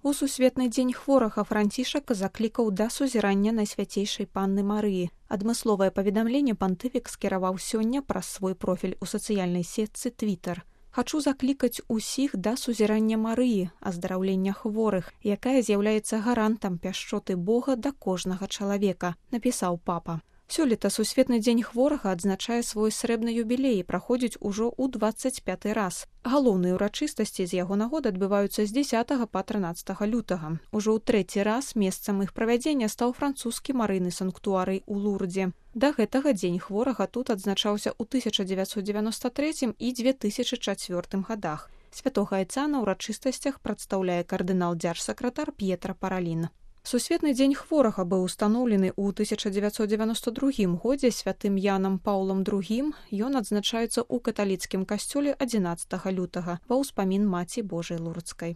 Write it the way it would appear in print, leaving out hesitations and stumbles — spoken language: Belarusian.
У сусветны дзень хворага Францішак заклікаў да сузірання Найсвяцейшай Панны Марыі. Адмысловае паведамленне пантыфік скіраваў сёння праз свой профіль у сацыяльнай сетцы Твітар. «Хачу заклікаць усіх да сузірання Марыі, аздараўлення хворых, якая з'яўляецца гарантам пяшчоты Бога да кожнага чалавека», напісаў папа. Сёлета сусветны дзень хворага адзначае свой срэбны юбілей і праходзіць ужо ў 25-й раз. Галоўныя ўрачыстасці з яго нагоды адбываюцца з 10 па 13 лютага. Ужо ў 3-й раз месцам іх правядзення стаў французскі марыйны санктуарый у Лурдзе. Да гэтага дзень хворага тут адзначаўся ў 1993 і 2004 гадах. Святога Айца на ўрачыстасцях прадстаўляе кардынал-дзяржсакратар П'етра Паралін. Сусветны дзень хворага быў устаноўлены ў 1992 годзе святым Янам Паўлам II. Ён адзначаецца ў каталіцкім касцёле 11 лютага ва ўспамін Маці Божай Лурдскай.